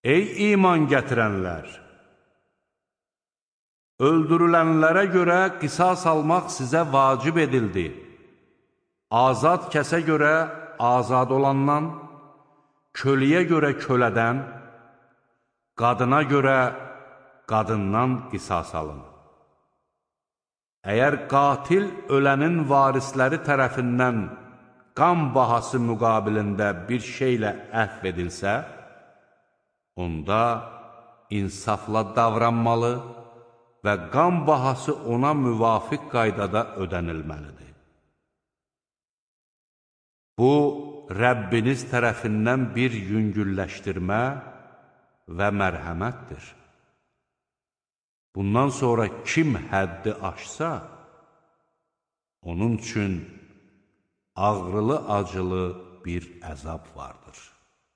Ey iman gətirənlər! Öldürülənlərə görə qisas almaq sizə vacib edildi. Azad kəsə görə azad olandan, köləyə görə kölədən, qadına görə qadından qisas alın. Əgər qatil ölənin varisləri tərəfindən qan bahası müqabilində bir şeylə əhv edilsə, onda insafla davranmalı və qan bahası ona müvafiq qaydada ödənilməlidir. Bu, Rəbbiniz tərəfindən bir yüngülləşdirmə və mərhəmətdir. Bundan sonra kim həddi aşsa, onun üçün ağrılı-acılı bir əzab vardır.